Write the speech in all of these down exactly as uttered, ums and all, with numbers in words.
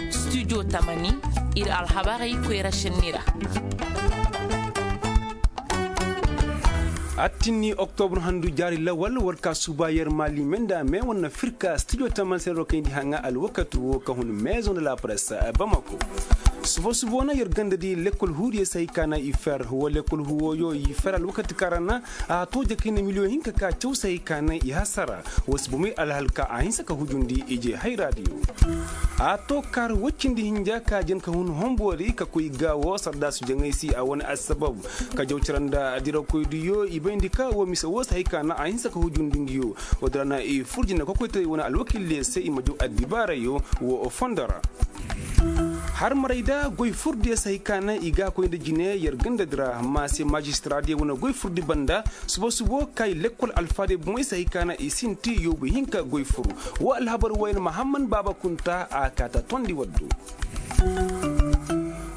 Studio tamani, ir alhabarey koyra šenni ra. Attinni oktobur handu jaari lawal war ka suba yer maali menda me wane firka studio tamani se ro kayndi haŋa alwakati wo ka hun maison de la presse bamako. Suba suba wane yer ganda di lekkol huudiyo se hay ka na i fer wa lekkol huuwo yo i fer alwakati kaŋ ra na a to jakayna miliyoŋ hinka ka caw se hay ka na i hasara. Wa si bomey alhal ka a hinsa ka hujundi ije hayra diyo. A to kaar woy cindi hinja ka jen ka hun homboori ka koy gaawo sardaasu jaŋay se a wane assabab ka jaw cara nda dirakoydiyo i bayndi ka wo mise wo se hay ka na a hinsa ka hujundi ngiyo. Wo- din ra na i fur jine kokoytaray wane alwakildiyo se i ma jaw addibaarayo wo fondo ra. Harmarayda goy furdiyo se hay ka na i ga a koy nda jine yer ganda di ra ma se majistraadiyo wane goy furdi banda. Suba subo kay lekkol alfaadiyo bomey se hay ka na i sinti yoobu hinka goy fur. Wo alhabar wayne mahamman baaba kunta a kaata tondi waddo.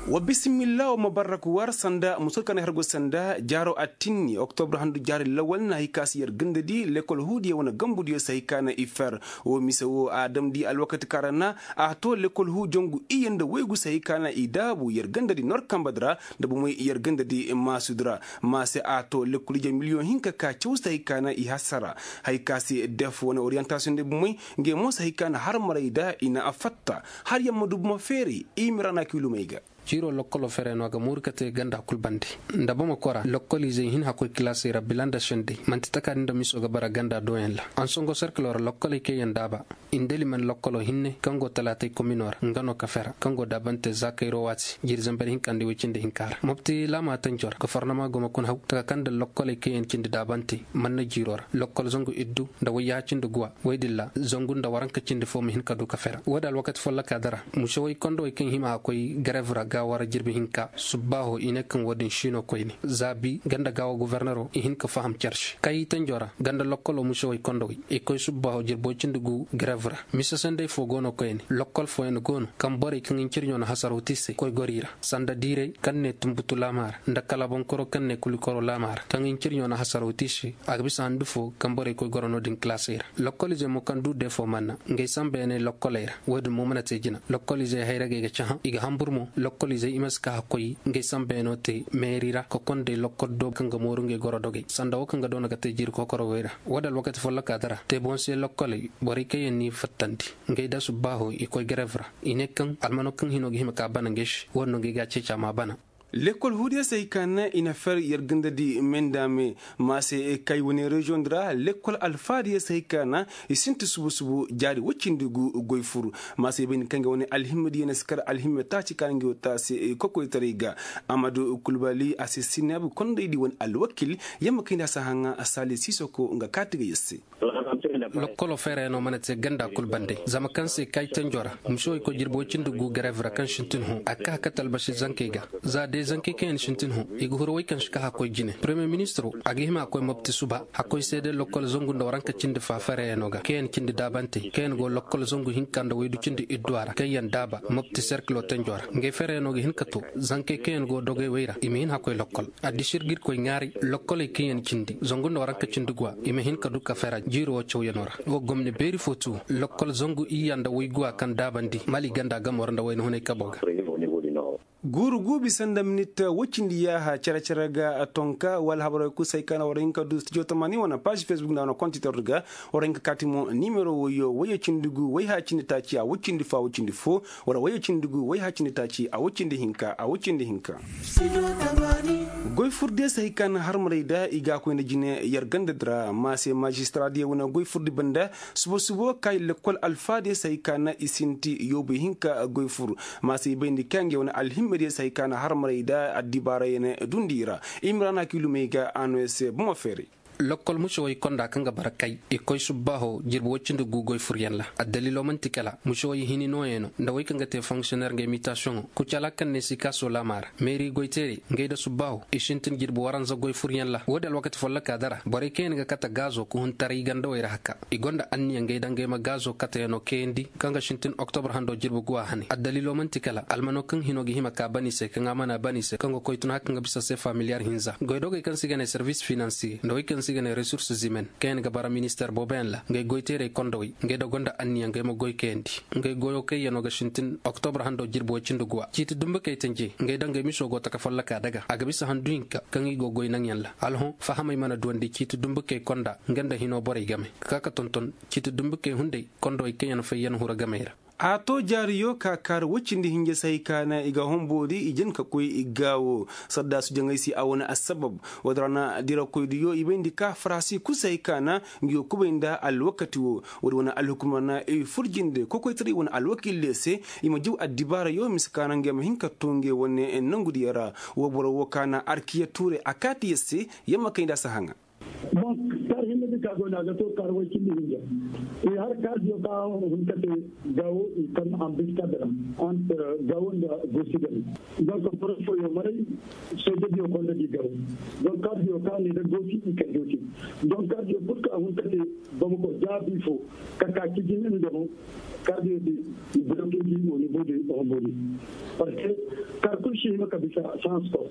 Wa bisimilla wa ma barrak war sanda musol ka na hergo sanda jaaro attinni oktobur handu jaari lawal na hay ka se yer ganda di lekkol huudiyo wane gambudiyo se hay ka na i fer. Wo mise wo a damndi alwakati kaŋ ra na a to lekkol huu jongu iyye nda waygu se hay ka na i daabu yer ganda di nor kamba di ra nda bomey yer ganda di maasudi ra. Ma se a to lekkol ije miliyoŋ hinka ka caw se hay ka na i hasara. Hay ka se def wane oriyantasiyoŋ nda bomey ngey mo se hay ka na harmaray da i na a fatta. Har yamma du buma feeray i mira na kiilumey ga. Ciiro lokkolo fere no a ga mooru ka te ganda kul bande. Nda bamako ra lokkoliizey hin hakkoy kilaasey ra bila nda sendey man'ti takaadi nda miso ga bara ganda doyaŋ ra ansongo serkilo ra lokkoley kaŋ yaŋ daaba. Indeli man lokkolo hinne kaŋ go talaatay komino ra nga no ka fera kaŋ go daabante za kayro waati jiiri zamber hinka nda woy cindi hinka ra mopti laama tanco ra gofornama go ma kun haw taka kaŋ nda lokkoley kaŋ yaŋ cindi daabante man na jiiro ra lokkol zangu iddu nda wayyaha cindi guwa. Woy din ra zangu nda waranka cindi fo ma hin ka du ka fera wo- din alwakati folloka dara. Musewey kondowey kaŋ hima a koy garev ra ga wara jirbi hinka subbaaho i ne kaŋ wo- din siino koyne zaabi ganda gaawo gofornero i hin ka faham care se kay tanjo ra ganda lokkolo musewey kondowey i koy subbaaho jirbo cindi gu garev ra. Mise sendey fo go no koyne lokkol fooyaŋ go no kaŋ borey kaŋ incirɲo na hasaraw te i se koy goro i ra sanda diiray kaŋ ne tumbutu laama ra nda kala bonkoro kaŋ ne kulikoro laama ra kaŋ incirɲo na hasaraw te i se. A ga bisa handu fo kaŋ borey koy goro no- din kilaasey ra lokkoliizey mo kaŋ du defo manna ngey sambeyaŋey lokkoley ra. Wo- din mo mana te jina lokkoliizey hayragey ga cahã i ga hanbur mo lokkoliizey i ma si ka hakkoy ngey sambeyaŋo te meeri ra ka konday lokkol do kaŋ ga mooru ngey goro dogey sanda wo kaŋ ga doona ga te jiiri kokorowey ra. Wo- din alwakati folloka dara te boŋ se lokkoley borey kaŋ yaŋ n'i fattandi ngey da subbaaho i koy garev ra i ne kaŋ almano kaŋ hino ga hima ka bana ngey se wo- din no ngey ga a ceeci a ma bana. Lekkol huudiyo se hay ka na i na fer yer ganda di me nda me ma se kay wane reziyoŋ di ra lekkol alfaadiyo se hay ka na i sinti subu subu jaari woy cindi gu goy fur. Ma se bay ni kaŋ ga wane alhimmadiyo na si kar alhimme taaci ka na ngi wo taase kokoytaray ga. Amadu kulbali a se sinaabu kondaydi wane alwakil yamma kayndi a si haŋa saali siisoko nga kaati ga yer se. Lokkolo feerayaŋo mana te ganda kul bande zama kaŋ se kay tanjo ra. Muso i koy jirbi woy cindi gu garev ra kaŋ sintin hõ a ka kate albasi zankey ga. Za day zankey kaŋ yaŋ sintin hõ i ga huru woy kaŋ si ka hakkoy jine premiye ministiro a ga hima a koy mopti suba hakkoy seede lokkol zangu nda waranka cindi fa feerayaŋo ga kaŋ yaŋ cindi daabantey kaŋ yaŋ go lokkol zangu hinka nda waydu cindi idduwa ra kaŋ yaŋ daaba mopti serkilo tanjo ra ngey feerayaŋo ga hin ka to. Zankey kaŋ yaŋ go dogey wey ra i ma hin hakkoy lokkol. Addisir ga ir koy ŋaaray lokkoley kaŋ yaŋ cindi zangu nda waranka cindi guwa i ma hin ka du ka fera jiiri wo cawyaŋo ra. Wo gomni beeri fo tu lokkol zangu iyya nda wayguwa kaŋ daabandi mali ganda gamo ra nda wayna hunay kabo ga. Guuru guubi sanda minit woy cindi yaaha cere cere ga tonka wala habarey kul se ay kaana war hin ka du studio tamani wane paazi facebook nda wane kontitor ga. War hin ka kaati mo nimero woyo woyo cindi gu woy ha cindi taaci a woy cindi fo a woy cindi fo. Wala woyo cindi gu woy ha cindi taaci a woy cindi hinka a woy cindi hinka. Goy fur de se hay ka na harmaray da i ga a koy nda jine yer ganda di ra ma se maazistara diyo wane goy fur di banda. Subo subo kay lekkol alfa diyo se hay ka na i sinti yoobu hinka goy fur. Ma se i bayndi ka ngey wane alhimme diyo se hay ka na harmaray da addibaarayne dundi i ra. Imrana kilumey ga a no yer se bomo feeray. Lokkol musewey konda kaŋ ga bara kay i koy subbaaho jirbi woy cindi gu goy furyaŋ ra. Addaliilo man'ti kala musewey hini nooyaŋo nda wey kaŋ ga te fonksiyoneer ngey mitasiyoŋo kucala kaŋ ne sikaaso laama ra meeri goyteerey ngey nda subbaaho i sintin jirbi waranza goy furyaŋ ra wo- din alwakati folloka dara borey kaŋ yaŋ ga kate gaazo ka hun taray gandawey ra haka. I gonda anniya ngey nda ngey ma gaazo kateyaŋo kayandi kaŋ ga sintin oktobur hando jirbi guwa hane addaliilo man'ti kala almano kaŋ hino ga hima ka ban i se kaŋ a mana ban i se kaŋ ga koy tun haka nga bisa sefa miliyar hinza goydogey kaŋ se i ga ne servis finansiye nda wey kaŋ Se i ga ne resurs zimen kaŋ yaŋ ga bara minister booboyaŋ ra ngey goyteerey kondowey ngey da gonda anniya ngey ma goy kayandi. Ngey goyoo kaŋ yaŋ no ga sintin oktobre hando jirbi woy cindi guwa ciiti dumbukey tanje ngey da ngey miso go taka folloka daga a ga bisa handu hinka kaŋ i go goy naŋyaŋ ra. Alhõ fahamey mana duwandi ciiti dumbukey konda nga nda hinoo borey game ka ka ka tonton ciiti dumbukey hunday kondowey kaŋ yaŋ fayyan hura gamey ra. A to jaariyo ka kaari woy cindi hinja se hay ka na i ga homboori i jin ka koy i gaawo. Saddaasu jaŋay se a wane assabab. Woodin ra na dirakoydiyo i bayndi ka farasi kul se hay ka na ngi yo kubay nda alwakati wo. Woodin wane alhukum ra na i fur jinde kokoytaray wane alwakiil diyo se i ma jaw addibaarayo mise ka na ngey ma hin ka to ngey wane nangu diyo ra. Wo boro wo ka na arkiya tuure a kaati yer se yer ma kay nda a si haŋa. Bon, kaari hinne din ka go no a ga to kaari way cindi hinja. I har kaari diyo ka hun ka te gawo i kan ambassador, entre gawo nda gosi gani. Donc boro fooyo maray sooje diyo konda di gawo. Donc kaari diyo ka ne da gosi i kan gosi. Donc kaari diyo kul ka hun ka te bamako jaabi fo ka ka kijin nda mo. Kaari diyo di i bloke di au niveau de hombori. Parce que kaari kul si hima ka bisa sans ko.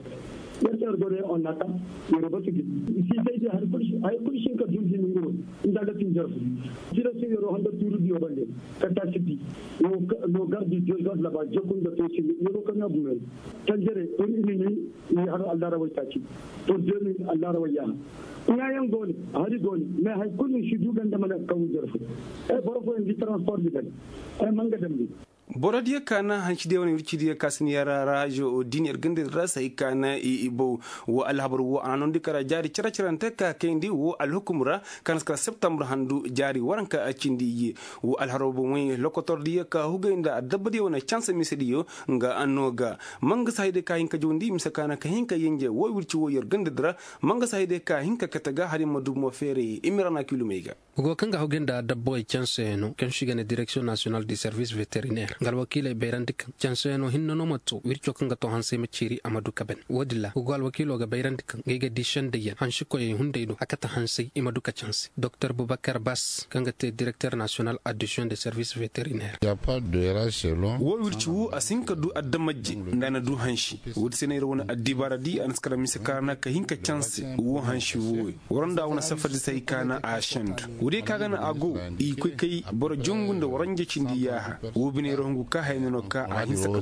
Yer se yer go ne on nata yer batu gi. Si sai di har kul si har kul si ka dun di nunguro. Nda ga tin jarfu. Sira si yer honda turu diyo bande. Ka ta si di. Lo gardi diyo gardi laba jokun da to si yer ka na bumen. Tanjere iri ini ni. Ni har allara wai taki. To deni allara wai ya. Ŋaayaŋ go ne hari go ne. Mais hay kulu si du ganda mana kaŋ jarfu. Ay boro fo indi transport di ganda. Ay manga dambi. Boro diyo ka na hansi diyo wane wirci diyo ka si ni yara rajo din yer ganda ra se hay ka na i bow. Wo alhabar wo a na nondi kara jaari cere-cerante ka kayndi wo alhukum ra. Ka na si kara septembre handu jaari waranka cindi iye. Wo alhabar wo moy lokotor diyo ka hugay nda adabba diyo wane canse mise diyo. Nga anno ga. Manga si hay day ka hin ka jawndi mise ka na ka hin ka yenje wo wirci wo yer ganda di ra. Manga si hay day ka hin ka kate ga hari ma du mo feere i ma ra na kiilumey ga. Go kaŋ ga hawgay nda dabbawey canseyaŋo kaŋ se i ga ne direksiyoŋ nasiyonal de servis veteriner nga alwakiiley bayrandi kaŋ canseyaŋo hinne no ma to wirco kaŋ ga to hansey ma ceeri a ma du ka ban. Wo- din ra go alwakiilo ga bayrandi kaŋ ngey ga di sendayyaŋ hansikoyey hunday do a kate hansey i ma du ka canse doktor bubakar bas kaŋ ga te direkter nasiyonal adisiyoŋ de servis veteriner. Wo wirci wo a si hin ka du adamajje nda a na du hansi. Wo- din se no yer wane addibaara di a na si kara mise ka ra na ka hin ka canse wo hansi wooyo. Wara nda a wane safardi se hay ka na a sendu. Wo- diyo ka ga na a go i koy kay boro jongu nda waranja cindi yaaha. Wo bine yer hungu ka haya no no ka a hinsa ka.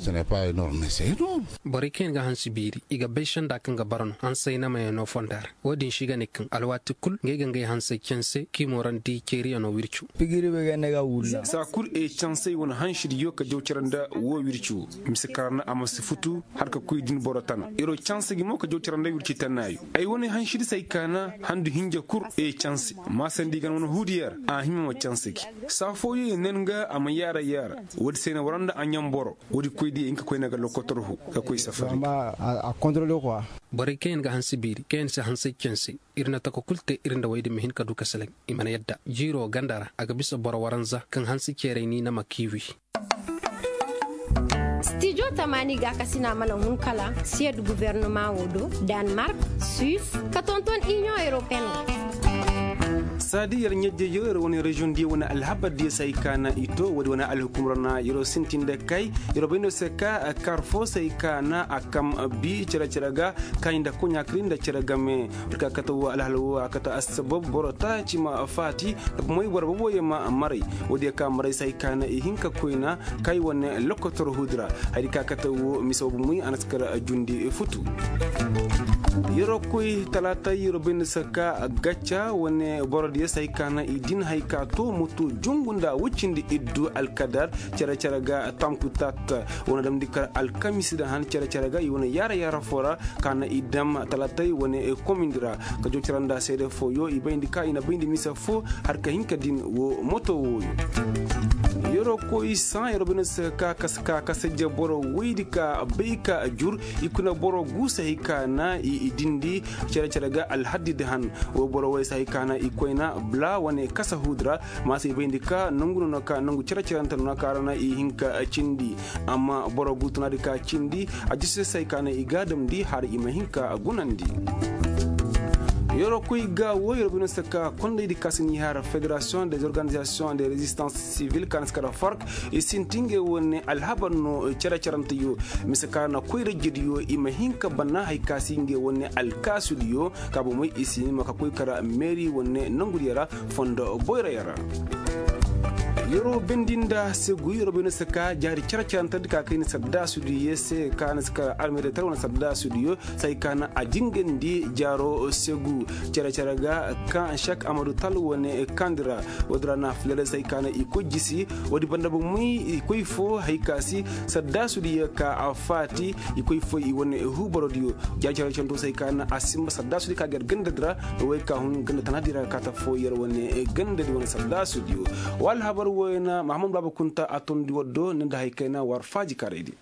Borey kaŋ yaŋ ga hansi biiri i ga bay senda kaŋ ga bara no hansay namayaŋo fonda ra. Wo- din se i ga ne kaŋ alwaati kul ngey ga ngey hansay canse k'i moorandi ceeriyaŋo wircu. Saa kul e cansey wane hansi diyo ka jaw cere nda wo wircu. Mise ka ra na a ma si futu har ka koy din boro tana iro canse gi mo ka jaw cere nda wirci tanaayo. Ay wane hansi di se ay ka na handu hinja kul e canse. Maasandi gan wane huudiyo ra a hima ma canse gi. Saa fooyo i nen ga a ma yaara yaara. Wo- din se na waranda a ɲamboro. Wo- din koy diyo hin ka koy na ga lokotor hu ka koy safari. Borey kaŋ yaŋ ga hanse biiri kaŋ yaŋ si hansey canse. Ir na tako kul te ir nda woy din ma hin ka du ka salaŋ. I mana yadda jiiro ganda ra a ga bisa boro waranza kaŋ hanse ceerey ni na ma kiiwi. Stijo tamaani gaakasina mana hun kala siyed guvernama wo do, danmark, suis, ka tonton iniyoŋ europeyen wo. Saadi yer ɲajjejo yer wane reziyoŋ diyo wane alhabar diyo se ay ka na i to woodi wane alhukum ra na yeroo sintin nda kay. Yeroo bay no se ka kar foo se ay ka na a kam bi cere-cere ga. Kaayi nda koɲa kari nda cere game. Ka kate wo alhala wo a kate assabab boro taaci ma faati. Moy boro boboyo ma maray. Woodiyo ka maray se ay ka na i hin ka koyna. Kay wane lokotor huudi ra. Hari ka kate wo mise wo bomoy a na si kar jundi futu. Yeroo koy talaatay yeroo bay no se ka gacca wane borodiyo se ay ka na i din hay ka to moto jungu nda woy cindi iddu alkadar. Cere-cere ga tamku tat wane damndi kar alkamisi da han cere-cere ga i wane yaara-yaara foo ra. Ka na i dam talaatay wane komindi ra. Ka jaw cere nda seede fooyo i bayndi ka i na bayndi mise foo har ka hin ka din wo moto wooyo. Yeroo koy saŋ yeroo bay no se ka kasa ka kasa je boro woydi ka bay ka jur. I kuna boro guusay ka na i dindi cere-cere ga alhaddi da han. Wo boro woy se hay ka na i koyna bla wane kasa huudi ra. Ma se i bayndi ka nangu no no ka nangu cere-cerante no no ka ra na i hin ka cindi. Amma boro guutunaadi ka cindi a jise se hay ka na i gaadamndi har i ma hin ka gunandi. Yeroo koy ga woo yeroo bay no si ka kondaydi ka si n'i har federasiyoŋ des organizasiyoŋ de rezistans sivil ka na si kara fark i sinti ngey wane alhabar no. Cere-cerante yo mise ka na koy rajjidi yo i ma hin ka bana hari ka si ngey wane alkaasudi yo ka bomey i si ni ma ka koy kara meeri wane nongudiyo ra fondo boyra yaŋ ra. Yeroo bendi nda segu yeroo bay no si ka jaari cere-cerante di ka kay ni saddaasudi yo se ka na si kara almeeri tar wane saddaasudi yo. Say ka na a jingandi jaaro segu cere-cere ga kaŋ sek amadu tal wane kandi ra. Woodi ra na fileray say ka na i koy jisi woodi banda bomey i koy fo hari ka si saddaasudi ye ka a faati i koy fo i wane huubarodiyo. Jaari cere-cere to say ka na a simba saddaasudi ka ga yer gandadi ra. Way ka hun ganda tanadi ra ka ta fo yer wane gandadi wane saddaasudiyo. Wa alhabar woyna mahamad baaba kunta a tondi waddo ni nda hari kayna war faaji karaydi.